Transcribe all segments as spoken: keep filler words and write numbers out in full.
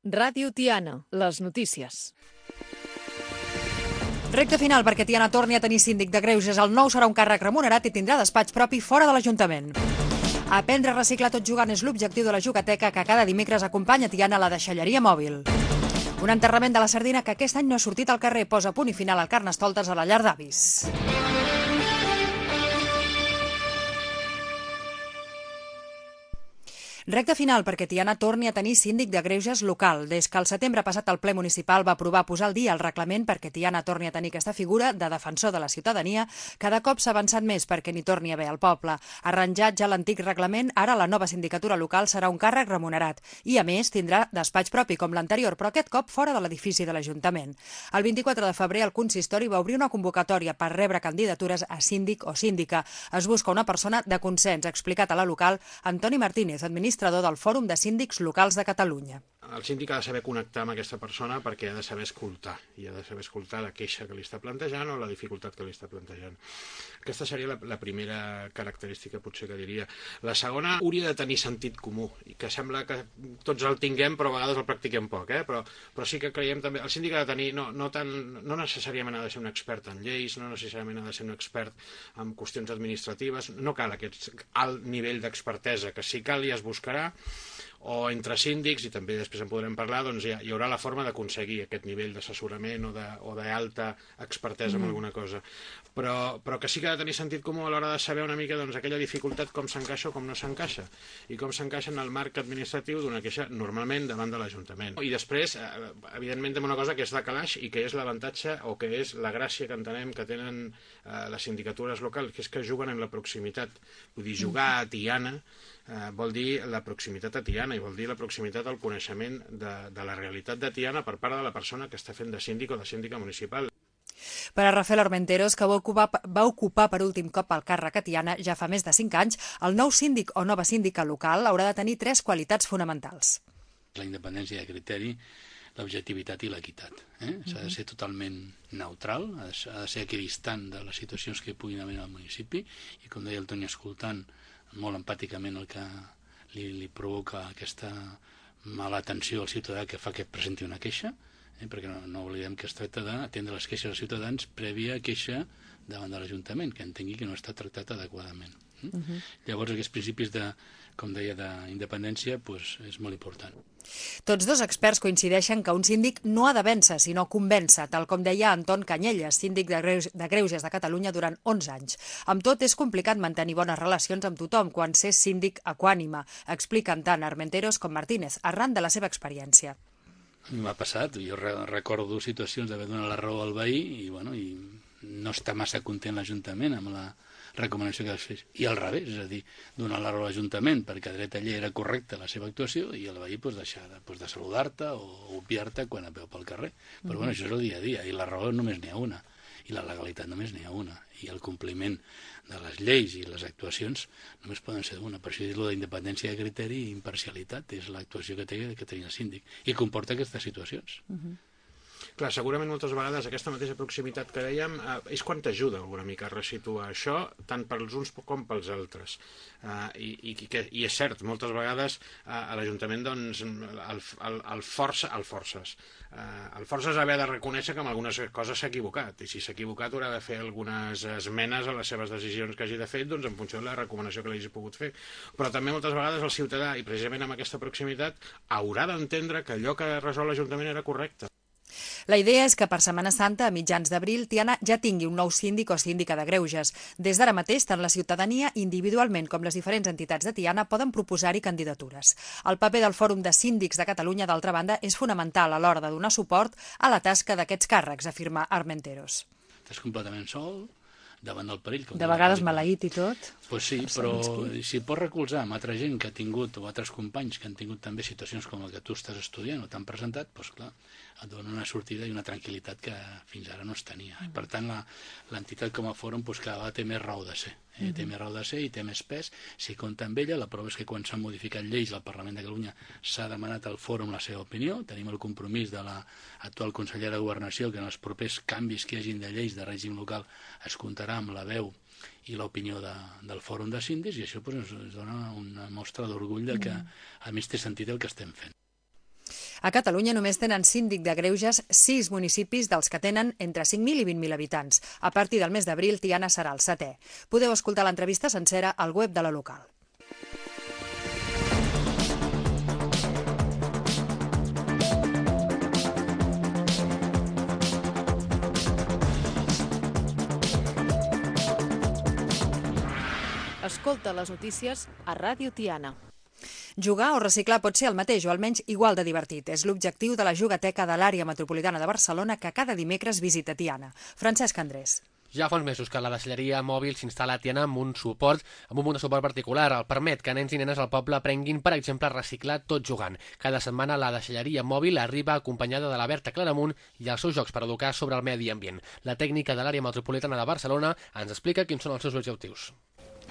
Ràdio Tiana, les notícies. Recte final perquè Tiana torni a tenir síndic de greuges. El nou serà un càrrec remunerat i tindrà despatx propi fora de l'Ajuntament. Aprendre a reciclar tot jugant és l'objectiu de la Jugateca que cada dimecres acompanya Tiana a la deixalleria mòbil. Un enterrament de la sardina que aquest any no ha sortit al carrer posa punt i final al Carnestoltes a la llar d'avis. Recte final perquè Tiana torni a tenir síndic de greuges local. Des que el setembre passat el ple municipal va aprovar posar al dia el reglament perquè Tiana torni a tenir aquesta figura de defensor de la ciutadania, cada cop s'ha avançat més perquè n'hi torni a haver al poble. Arranjat ja l'antic reglament, ara la nova sindicatura local serà un càrrec remunerat i, a més, tindrà despatx propi com l'anterior, però aquest cop fora de l'edifici de l'Ajuntament. El vint-i-quatre de febrer el consistori va obrir una convocatòria per rebre candidatures a síndic o síndica. Es busca una persona de consens, ha explicat a la local Antoni Martínez, administrador del Fòrum de Síndics Locals de Catalunya. El síndic ha de saber connectar amb aquesta persona perquè ha de saber escoltar, i ha de saber escoltar la queixa que li està plantejant o la dificultat que li està plantejant. Aquesta seria la, la primera característica, potser, que diria. La segona, hauria de tenir sentit comú, i que sembla que tots el tinguem, però a vegades el practiquem poc, eh? però, però sí que creiem també... El síndic ha de tenir, no, no, tan, no necessàriament ha de ser un expert en lleis, no necessàriament ha de ser un expert en qüestions administratives, no cal aquest alt nivell d'expertesa, que si cal ja es buscarà, o entre síndics, i també després en podrem parlar, doncs hi, ha, hi haurà la forma d'aconseguir aquest nivell d'assessorament o d'alta expertesa en alguna cosa. Però, però que sí que ha de tenir sentit comú a l'hora de saber una mica doncs, aquella dificultat com s'encaixa o com no s'encaixa, i com s'encaixa en el marc administratiu d'una queixa normalment davant de l'Ajuntament. I després, evidentment, tenim una cosa que és de calaix i que és l'avantatge o que és la gràcia que entenem que tenen eh, les sindicatures locals, que és que juguen en la proximitat. Vull dir, jugar a Tiana eh, vol dir la proximitat a Tiana, i vol dir la proximitat al coneixement de, de la realitat de Tiana per part de la persona que està fent de síndic o de síndica municipal. Per a Rafael Armenteros, que va ocupar, va ocupar per últim cop el càrrec a Tiana ja fa més de cinc anys, el nou síndic o nova síndica local haurà de tenir tres qualitats fonamentals. La independència de criteri, l'objectivitat i l'equitat. Eh? S'ha de ser totalment neutral, ha de ser, ha de ser equidistant de les situacions que hi puguin haver al municipi, i com deia el Toni, escoltant molt empàticament el que li, li provoca aquesta mala atenció al ciutadà que fa que presenti una queixa, eh? perquè no, no oblidem que es tracta d'atendre les queixes dels ciutadans prèvia queixa davant de l'Ajuntament, que entengui que no està tractat adequadament. Eh? Uh -huh. Llavors, aquests principis de, com deia, d'independència, pues, és molt important. Tots dos experts coincideixen que un síndic no ha de vèncer, sinó convèncer, tal com deia Anton Canyelles, síndic de, Greus, de Greuges de Catalunya durant onze anys. Amb tot, és complicat mantenir bones relacions amb tothom quan s'és síndic equànime, expliquen tant Armenteros com Martínez, arran de la seva experiència. M'ha passat, jo recordo situacions d'haver donat la raó al veí i, bueno, i no està massa content l'Ajuntament amb la recomanació que es fes. I al revés, és a dir, donar la raó a l'Ajuntament perquè dret a llei era correcta la seva actuació i el veí pues, deixar de, pues, de saludar-te o obviar-te quan et veu pel carrer. Però mm-hmm. bueno, això és el dia a dia, i la raó només n'hi ha una, i la legalitat només n'hi ha una, i el compliment de les lleis i les actuacions només poden ser d'una. Per això dir-lo d'independència de criteri i imparcialitat és l'actuació que té que tenir el síndic, i comporta aquestes situacions. Mm-hmm. Clar, segurament moltes vegades aquesta mateixa proximitat que dèiem eh, és quan t'ajuda alguna mica a resituar això, tant pels uns com pels altres. Eh, i, i, que, I és cert, moltes vegades eh, a l'Ajuntament doncs, el, el, el, força, el forces. Eh, el forces ha de reconèixer que en algunes coses s'ha equivocat, i si s'ha equivocat haurà de fer algunes esmenes a les seves decisions que hagi de fer doncs, en funció de la recomanació que l'hagi pogut fer. Però també moltes vegades el ciutadà, i precisament amb aquesta proximitat, haurà d'entendre que allò que resol l'Ajuntament era correcte. La idea és que per Setmana Santa, a mitjans d'abril, Tiana ja tingui un nou síndic o síndica de greuges. Des d'ara mateix, tant la ciutadania individualment com les diferents entitats de Tiana poden proposar-hi candidatures. El paper del Fòrum de Síndics de Catalunya, d'altra banda, és fonamental a l'hora de donar suport a la tasca d'aquests càrrecs, afirma Armenteros. Estàs completament sol, davant del perill. De vegades maleït i tot. Pues sí, però si pots recolzar amb altra gent que ha tingut, o altres companys que han tingut també situacions com el que tu estàs estudiant o t'han presentat, doncs clar, et dona una sortida i una tranquil·litat que fins ara no es tenia. Mm. Per tant, l'entitat com a fòrum doncs, cada vegada té més raó de ser. Eh? Mm. Té més raó de ser i té més pes. Si compta amb ella, la prova és que quan s'han modificat lleis al Parlament de Catalunya s'ha demanat al fòrum la seva opinió. Tenim el compromís de l'actual consellera de Governació que en els propers canvis que hi hagin de lleis de règim local es comptarà amb la veu i l'opinió de, del Fòrum de Síndics, i això pues, ens dona una mostra d'orgull de que a més té sentit el que estem fent. A Catalunya només tenen síndic de greuges sis municipis dels que tenen entre cinc mil i vint mil habitants. A partir del mes d'abril, Tiana serà el setè. Podeu escoltar l'entrevista sencera al web de la local. Escolta les notícies a Ràdio Tiana. Jugar o reciclar pot ser el mateix o almenys igual de divertit. És l'objectiu de la Jugateca de l'Àrea Metropolitana de Barcelona que cada dimecres visita Tiana. Francesc Andrés. Ja fa uns mesos que la deixalleria mòbil s'instal·la a Tiana amb un suport, amb un punt de suport particular. El permet que nens i nenes al poble aprenguin, per exemple, a reciclar tot jugant. Cada setmana la deixalleria mòbil arriba acompanyada de la Berta Claramunt i els seus jocs per educar sobre el medi ambient. La tècnica de l'Àrea Metropolitana de Barcelona ens explica quins són els seus objectius.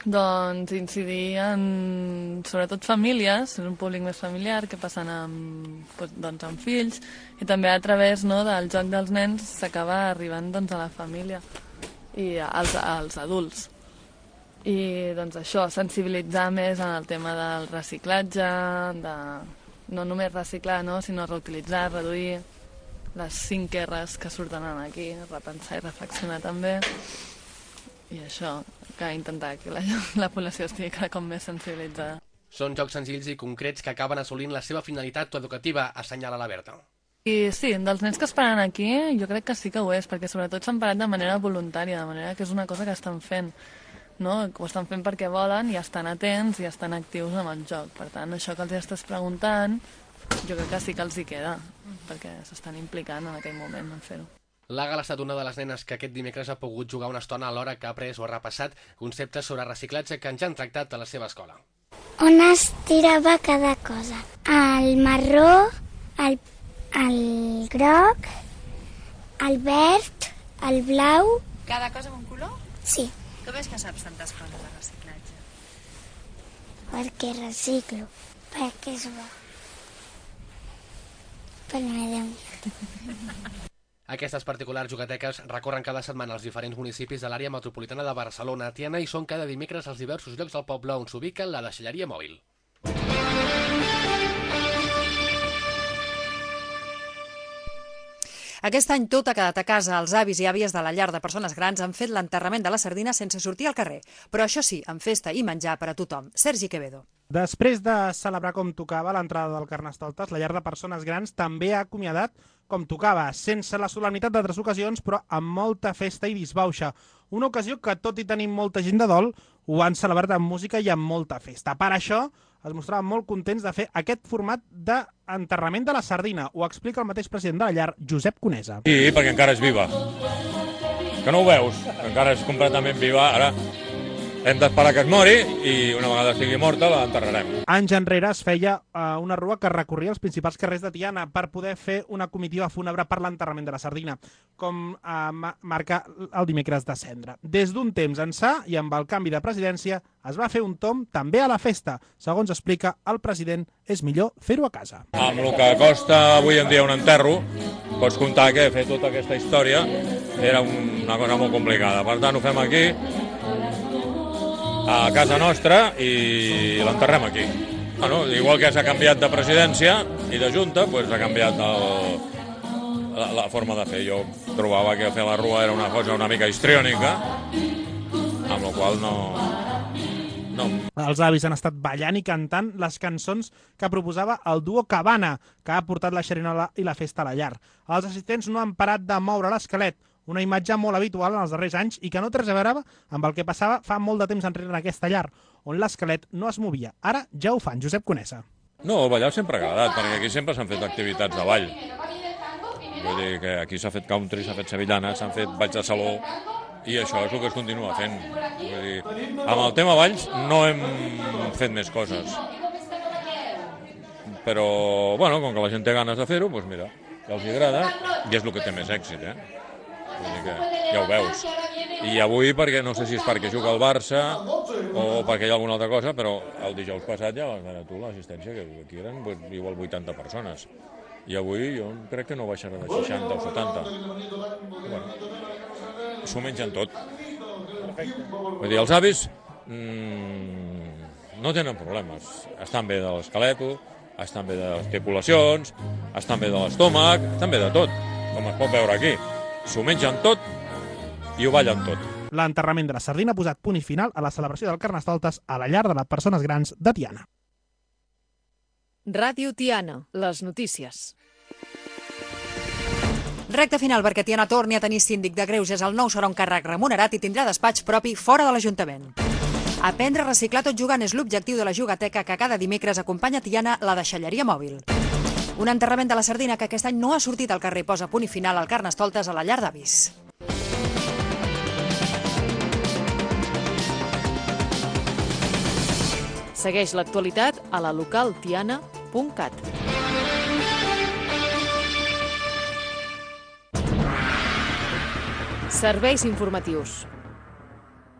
Doncs incidir en, sobretot, famílies, en un públic més familiar, que passen amb, doncs, amb fills, i també a través, no, del joc dels nens s'acaba arribant, doncs, a la família i als, als adults. I doncs això, sensibilitzar més en el tema del reciclatge, de no només reciclar, no, sinó reutilitzar, reduir les cinc erres que surten aquí, repensar i reflexionar també. I això, que intentar que la, la població estigui cada cop més sensibilitzada. Són jocs senzills i concrets que acaben assolint la seva finalitat educativa, assenyala la Berta. I sí, dels nens que es paren aquí, jo crec que sí que ho és, perquè sobretot s'han parat de manera voluntària, de manera que és una cosa que estan fent, no? Ho estan fent perquè volen i estan atents i estan actius amb el joc. Per tant, això que els estàs preguntant, jo crec que sí que els hi queda, perquè s'estan implicant en aquell moment en fer-ho. L'Àgala ha estat una de les nenes que aquest dimecres ha pogut jugar una estona alhora que ha après o ha repassat conceptes sobre reciclatge que ens han tractat a la seva escola. On es tirava cada cosa? El marró, el, el groc, el verd, el blau... Cada cosa amb un color? Sí. Com és que saps tantes coses de reciclatge? Perquè reciclo, perquè és bo. Per medi ambient. Aquestes particulars jugateques recorren cada setmana als diferents municipis de l'àrea metropolitana de Barcelona a Tiana i són cada dimecres als diversos llocs del poble on s'ubica la deixalleria mòbil. Aquest any tot ha quedat a casa. Els avis i àvies de la llar de persones grans han fet l'enterrament de la sardina sense sortir al carrer. Però això sí, amb festa i menjar per a tothom. Sergi Quevedo. Després de celebrar com tocava l'entrada del Carnestoltes, la llar de persones grans també ha acomiadat com tocava, sense la solemnitat d'altres ocasions, però amb molta festa i disbauxa. Una ocasió que, tot i tenir molta gent de dol, ho han celebrat amb música i amb molta festa. Per això es mostraven molt contents de fer aquest format d'enterrament de la sardina. Ho explica el mateix president de la llar, Josep Conesa. Sí, perquè encara és viva. Que no ho veus? Que encara és completament viva. Ara hem d'esperar que es mori i una vegada estigui morta l'enterrarem. Anys enrere es feia uh, una rua que recorria els principals carrers de Tiana per poder fer una comitiva fúnebre per l'enterrament de la sardina, com uh, marca el dimecres de cendra. Des d'un temps ençà i amb el canvi de presidència es va fer un tomb també a la festa. Segons explica el president, és millor fer-ho a casa. Amb el que costa avui en dia un enterro, pots comptar que fer tota aquesta història era una cosa molt complicada. Per tant, ho fem aquí, a casa nostra, i l'enterrem aquí. Bueno, igual que s'ha canviat de presidència i de junta, doncs ha canviat el, la, la forma de fer. Jo trobava que fer la rua era una cosa una mica histriònica, amb la qual no... no. Els avis han estat ballant i cantant les cançons que proposava el duo Cabana, que ha portat la xerinola i la festa a la llar. Els assistents no han parat de moure l'esquelet, una imatge molt habitual en els darrers anys i que no té res a veure amb el que passava fa molt de temps enrere en aquesta llar, on l'esquelet no es movia. Ara ja ho fan, Josep Conesa. No, el ballar sempre ha agradat, perquè aquí sempre s'han fet activitats de ball. Vull dir que aquí s'ha fet country, s'ha fet sevillana, s'han fet balls de saló, i això és el que es continua fent. Vull dir, amb el tema balls no hem fet més coses. Però, bueno, com que la gent té ganes de fer-ho, doncs mira, que els agrada, i és el que té més èxit, eh? Vull dir que ja ho veus. I avui, perquè no sé si és perquè juga el Barça o perquè hi ha alguna altra cosa, però el dijous passat ja vas veure tu l'assistència, que aquí eren pues, igual vuitanta persones. I avui jo crec que no baixarà de seixanta o setanta. Bueno, s'ho mengen tot. Vull dir, els avis mmm, no tenen problemes. Estan bé de l'esqueleto, estan bé de les articulacions, estan bé de l'estómac, estan bé de tot, com es pot veure aquí. S'ho mengen tot i ho ballen tot. L'enterrament de la sardina ha posat punt i final a la celebració del Carnestoltes a la llar de les persones grans de Tiana. Ràdio Tiana, les notícies. Recte final perquè Tiana torni a tenir síndic de greuges. El nou serà un càrrec remunerat i tindrà despatx propi fora de l'Ajuntament. Aprendre a reciclar tot jugant és l'objectiu de la jugateca que cada dimecres acompanya Tiana la deixalleria mòbil. Un enterrament de la sardina que aquest any no ha sortit al carrer posa punt i final al Carnestoltes a la llar d'avis. Segueix l'actualitat a la local tiana punt cat. Serveis informatius.